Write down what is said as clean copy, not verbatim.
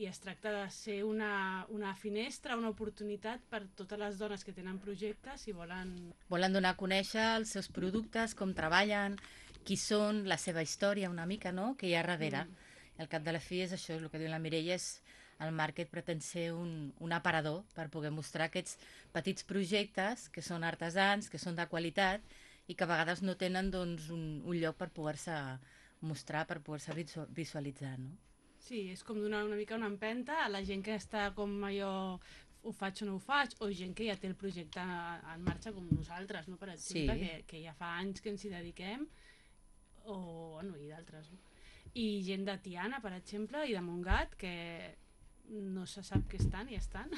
i es tracta de ser una finestra, una oportunitat per totes les dones que tenen projectes i Volen donar a conèixer els seus productes, com treballen, qui són, la seva història una mica, no?, que hi ha darrere. Mm. I al cap de la fi és això, el que diu la Mireia, és el market pretén ser un aparador per poder mostrar aquests petits projectes que són artesans, que són de qualitat i que a vegades no tenen doncs, un lloc per poder-se mostrar, per poder-se visualitzar, no? Sí, és com donar una mica una empenta a la gent que està com allò ho faig o no ho faig, o gent que ja té el projecte en marxa com nosaltres, no? Per exemple, Sí, que ja fa anys que ens hi dediquem, o bueno, i d'altres, no? I gent de Tiana, per exemple, i de Montgat, que no se sap què estan i estan.